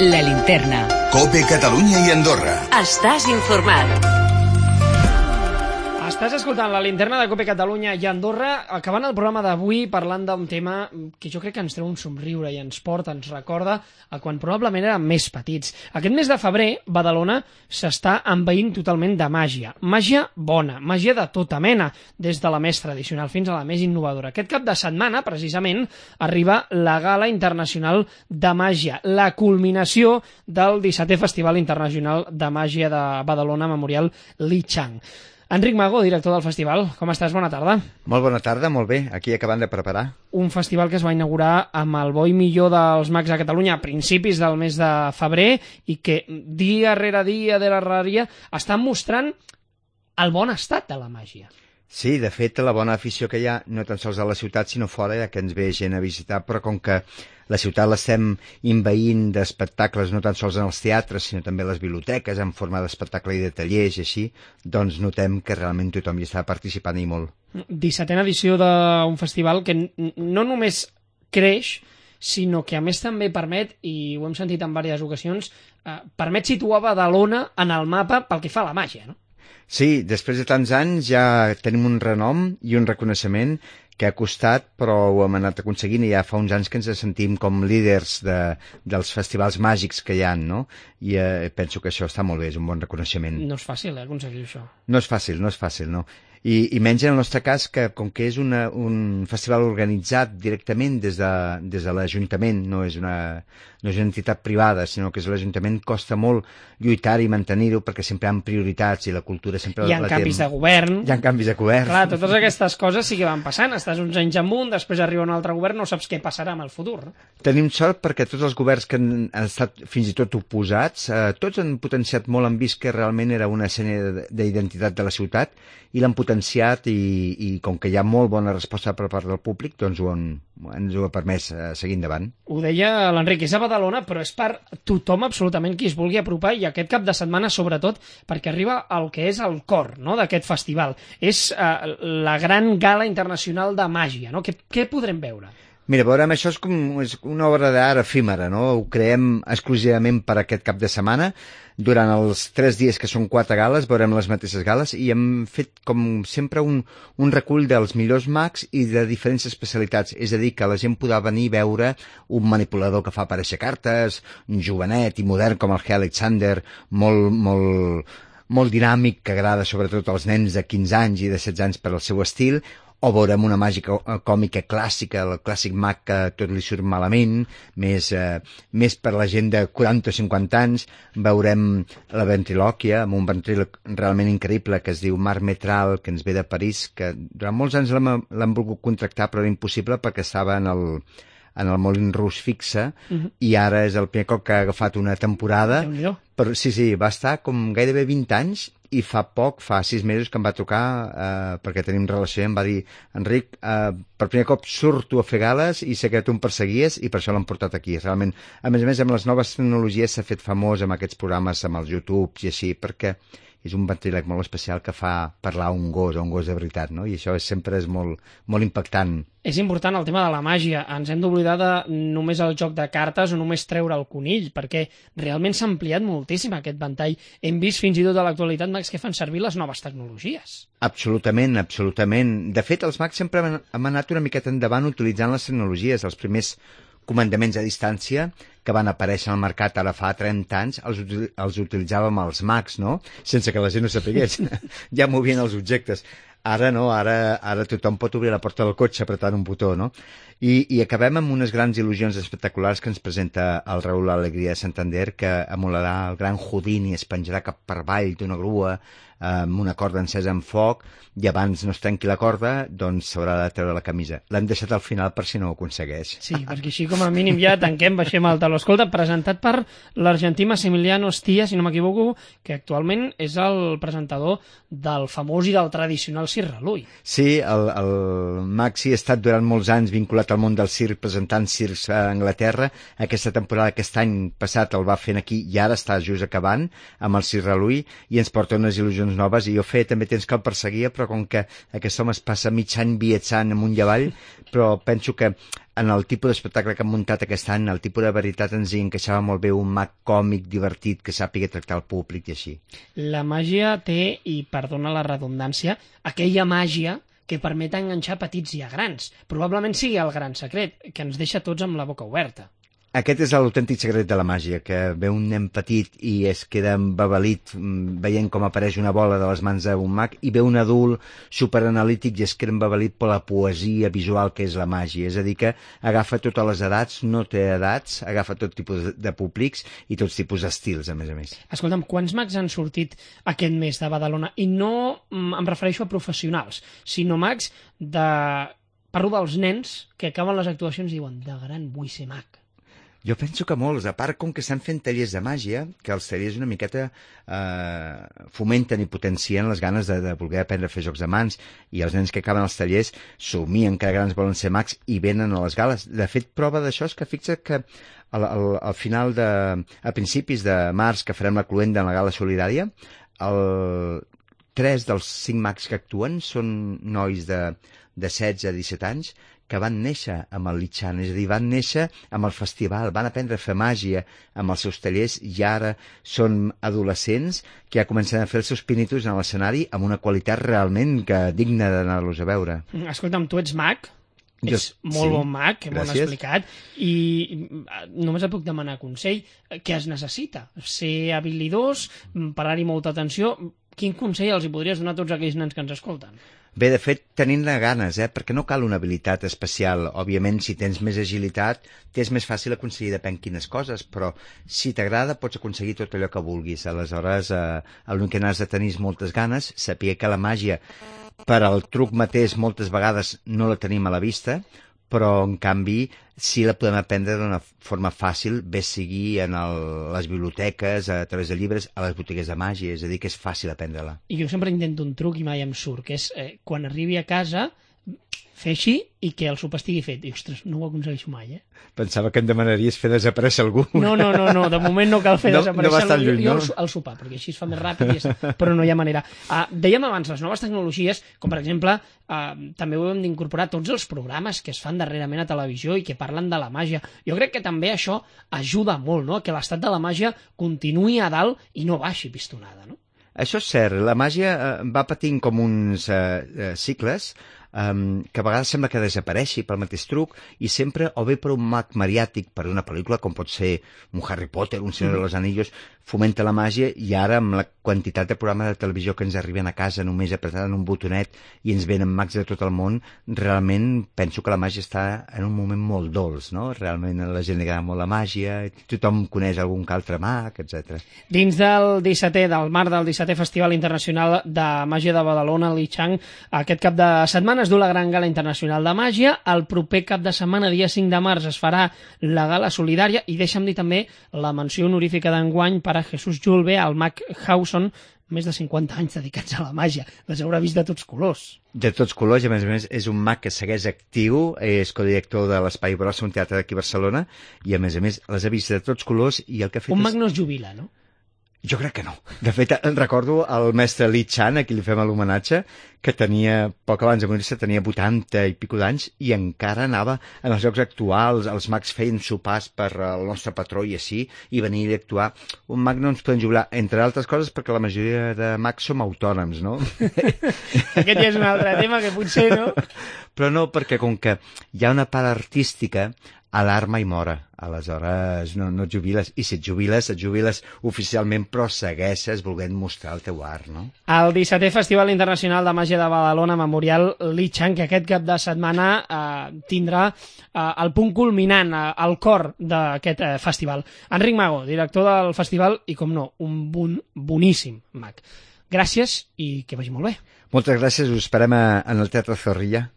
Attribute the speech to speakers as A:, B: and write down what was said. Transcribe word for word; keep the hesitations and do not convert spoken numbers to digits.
A: La Linterna.
B: COPE Catalunya i Andorra.
A: Estàs informat.
C: Estàs escoltant la Linterna de COPE Catalunya i Andorra, acabant el programa d'avui parlant d'un tema que jo crec que ens treu un somriure i ens porta, ens recorda a quan probablement érem més petits. Aquest mes de febrer, Badalona s'està envaint totalment de màgia. Màgia bona, màgia de tota mena, des de la més tradicional fins a la més innovadora. Aquest cap de setmana, precisament, arriba la Gala Internacional de Màgia, la culminació del dissetè Festival Internacional de Màgia de Badalona Memorial Li Chang. Enric Mago, director del festival, com estàs? Bona tarda.
D: Molt bona tarda, molt bé, aquí acabant de preparar.
C: Un festival que es va inaugurar amb el bo i millor dels mags a Catalunya a principis del mes de febrer i que dia rere dia de la raria estan mostrant el bon estat de la màgia.
D: Sí, de fet, la bona afició que hi ha, no tan sols a la ciutat, sinó fora, ja que ens ve gent a visitar, però com que la ciutat l'estem invaint d'espectacles, no tan sols en els teatres, sinó també a les biblioteques, en forma d'espectacle i de tallers i així, doncs notem que realment tothom hi està participant i molt.
C: dissetena edició d'un festival que no només creix, sinó que a més també permet, i ho hem sentit en diverses ocasions, eh, permet situar Badalona en el mapa pel que fa a la màgia, no?
D: Sí, després de tants anys ja tenim un renom i un reconeixement que ha costat, però ho hem anat aconseguint i ja fa uns anys que ens sentim com líders de, dels festivals màgics que hi ha, no? I eh, penso que això està molt bé, és un bon reconeixement.
C: No és fàcil, eh, aconseguir això.
D: No és fàcil, no és fàcil, no. I, i menys en el nostre cas, que com que és una, un festival organitzat directament des de, des de l'Ajuntament, no és una, no és una entitat privada, sinó que és l'Ajuntament, costa molt lluitar i mantenir-ho perquè sempre hi ha prioritats i la cultura sempre
C: hi ha
D: la
C: canvis
D: té...
C: de govern.
D: Hi ha canvis de govern.
C: Clar, totes aquestes coses sí que van passant. Estàs uns anys amunt, després arriba un altre govern, no saps què passarà amb el futur.
D: Tenim sort perquè tots els governs que han estat fins i tot oposats, eh, tots han potenciat molt, han vist que realment era una escena d'identitat de la ciutat i l'han potenciat i, i com que hi ha molt bona resposta per part del públic, doncs ho han, ens ho ha permès eh, seguir endavant.
C: Ho deia l'Enric, és a Badalona, però és per tothom absolutament qui es vulgui apropar i aquest cap de setmana sobretot perquè arriba el que és el cor, no?, d'aquest festival. És eh, la gran gala internacional de màgia, no? Què, què podrem veure?
D: Mira, veurem, això és com és una obra d'art efímera, no? Ho creem exclusivament per aquest cap de setmana. Durant els tres dies, que són quatre gales, veurem les mateixes gales i hem fet, com sempre, un, un recull dels millors mags i de diferents especialitats. És a dir, que la gent podrà venir a veure un manipulador que fa aparèixer cartes, un jovenet i modern com el G. Alexander, molt, molt, molt dinàmic, que agrada sobretot als nens de quinze anys i de setze anys per al seu estil, o veurem una màgica còmica clàssica, el clàssic mag que tot li surt malament, més, eh, més per la gent de quaranta o cinquanta anys. Veurem la ventrilòquia, amb un ventríloc realment increïble que es diu Marc Metral, que ens ve de París, que durant molts anys l'han volgut contractar, però era impossible perquè estava en el, en el Molin Rouge fixe, uh-huh. I ara és el primer cop que ha agafat una temporada. Però sí, sí, va estar com gairebé vint anys i fa poc, fa sis mesos que em va trucar eh, perquè tenim relació i em va dir Enric, eh, per primer cop surto a fer gales i sé que tu em perseguies i per això l'hem portat aquí. Realment, a més a més, amb les noves tecnologies s'ha fet famós amb aquests programes, amb els YouTube i així, perquè és un ventríloc molt especial que fa parlar un gos, o un gos de veritat, no? I això és, sempre és molt, molt impactant.
C: És important el tema de la màgia. Ens hem d'oblidar de només el joc de cartes o només treure el conill, perquè realment s'ha ampliat moltíssim aquest ventall. Hem vist fins i tot a l'actualitat mags que fan servir les noves tecnologies.
D: Absolutament, absolutament. De fet, els mags sempre hem anat una miqueta endavant utilitzant les tecnologies. Els primers comandaments a distància que van aparèixer al mercat ara fa trenta anys, els, els utilitzàvem els mags, no? Sense que la gent no sapigués. Ja movien els objectes. Ara no, ara, ara tothom pot obrir la porta del cotxe apretant un botó, no? I, i acabem amb unes grans il·lusions espectaculars que ens presenta el Raül Alegria de Santander, que emularà el gran Houdini, es penjarà cap per avall d'una grua amb una corda encesa amb foc i abans no es trenqui la corda, doncs s'haurà de treure la camisa. L'hem deixat al final per si no ho aconsegueix.
C: Sí, perquè així com a mínim ja tanquem, baixem el taló. Escolta, presentat per l'argentí Massimiliano Stia, si no m'equivoco, que actualment és el presentador del famós i del tradicional Circ Relull.
D: Sí, el, el Maxi ha estat durant molts anys vinculat al món del circ, presentant circs a Anglaterra. Aquesta temporada, aquest any passat, el va fent aquí i ara està just acabant amb el Circ Relull i ens porta unes il·lusions noves. I jo feia també temps que el perseguia, però com que aquest home es passa mig any viatjant amunt i avall, però penso que en el tipus d'espectacle que han muntat aquest any, el tipus de veritat ens hi encaixava molt bé un mag còmic, divertit, que sàpiga tractar el públic i així.
C: La màgia té, i perdona la redundància, aquella màgia que permet enganxar petits i a grans. Probablement sigui el gran secret, que ens deixa tots amb la boca oberta.
D: Aquest és l'autèntic secret de la màgia, que ve un nen petit i es queda embabalit veient com apareix una bola de les mans d'un mag, i ve un adult superanalític i es queda embabalit per la poesia visual que és la màgia. És a dir, que agafa totes les edats, no té edats, agafa tot tipus de públics i tots tipus d'estils, a més a més.
C: Escolta'm, quants mags han sortit aquest mes de Badalona? I no em refereixo a professionals, sinó mags de... Parlo dels nens que acaben les actuacions i diuen de gran vull ser mag.
D: Jo penso que molts, a part com que estan fent tallers de màgia, que els tallers una miqueta eh, fomenten i potencien les ganes de, de voler aprendre a fer jocs de mans, i els nens que acaben els tallers somien que grans volen ser mags i venen a les gales. De fet, prova d'això és que fixa't que al, al, al final de... a principis de març, que farem la cluenda en la gala solidària, el... tres dels cinc mags que actuen són nois de, de setze a disset anys, que van néixer amb el Lichan, és a dir, van néixer amb el festival, van aprendre a fer màgia amb els seus tallers i ara són adolescents que ja comencen a fer els seus pinitos en l'escenari amb una qualitat realment que digna d'anar-los a veure.
C: Escolta'm, tu ets mag,
D: Jo,
C: ets molt
D: sí,
C: bon mag, que m'ho han
D: gràcies.
C: explicat, i només et puc demanar consell. Què es necessita? Ser habilidós, parar-hi molta atenció? Quin consell els hi podries donar a tots aquells nens que ens escolten?
D: Bé, de fet, tenint-ne ganes, eh? Perquè no cal una habilitat especial. Òbviament, si tens més agilitat, t'és més fàcil aconseguir depèn quines coses, però si t'agrada pots aconseguir tot allò que vulguis. Aleshores, eh, l'únic que n'has de tenir és moltes ganes, saber que la màgia, per al truc mateix, moltes vegades no la tenim a la vista, però, en canvi, sí la podem aprendre d'una forma fàcil, bé sigui en el, les biblioteques, a través de llibres, a les botigues de màgia, és a dir, que és fàcil aprendre-la.
C: I jo sempre intento un truc i mai em surt, que és eh, quan arribi a casa fer així i que el sopar estigui fet. I, ostres, no ho aconsegueixo mai, eh?
D: Pensava que em demanaries fer desaparèixer algú.
C: No, no, no, no, de moment no cal fer
D: No-
C: desaparèixer
D: no vas tan
C: algú.
D: lluny,
C: jo,
D: no?
C: jo el, el sopar, perquè així es fa més ràpid, i és... però no hi ha manera. Uh, dèiem abans, les noves tecnologies, com per exemple, uh, també ho hem d'incorporar tots els programes que es fan darrerament a televisió i que parlen de la màgia. Jo crec que també això ajuda molt, no?, que l'estat de la màgia continuï a dalt i no baixi pistonada, no?
D: Això és cert, la màgia eh, va patint com uns eh, eh, cicles um, que a vegades sembla que desapareixi pel mateix truc, i sempre o bé per un mag mediàtic, per una pel·lícula com pot ser un Harry Potter, un Senyor de los Anillos, fomenta la màgia, i ara amb la quantitat de programes de televisió que ens arriben a casa només apretant un botonet i ens venen mags de tot el món, realment penso que la màgia està en un moment molt dolç, no? Realment a la gent li agrada molt la màgia, tothom coneix algun que altre mag, etcètera.
C: Dins del dissetè, del marc del dissetè Festival Internacional de Màgia de Badalona, el Lichang, aquest cap de setmana es du la gran gala internacional de màgia. El proper cap de setmana, dia cinc de març, es farà la gala solidària, i deixa'm dir també la menció honorífica d'enguany per a Jesús Julve, el mag Hauson, més de cinquanta anys dedicats a la màgia. Les haurà vist de tots colors.
D: De tots colors, i a més a més és un mag que segueix actiu, és codirector de l'Espai Brossa, un teatre d'aquí a Barcelona, i a més a més les ha vist de tots colors, i el que ha fet
C: Un
D: és...
C: mag no es jubila, no?
D: Jo crec que no. De fet, recordo el mestre Li Chan, a qui li fem l'homenatge, que tenia, poc abans de morir-se, tenia vuitanta i pico d'anys, i encara anava en els jocs actuals, els mags feien sopars per el nostre patró i així, i venir a actuar. Un mag no ens podem jubilar, entre altres coses perquè la majoria de mags som autònoms, no?
C: Aquest ja és un altre tema que potser, no?
D: Però no, perquè com que hi ha una part artística, a l'art mai mora. Aleshores no, no et jubiles, i si et jubiles, et jubiles oficialment, però segueixes volent mostrar el teu art, no?
C: El dissetè Festival Internacional de Màgia de Badalona, Memorial Lichang, que aquest cap de setmana eh, tindrà eh, el punt culminant, eh, el cor d'aquest eh, festival. Enric Mago, director del festival, i com no, un bon, boníssim mag. Gràcies i que vagi molt bé.
D: Moltes gràcies, us esperem a, en el Teatre Zorrilla.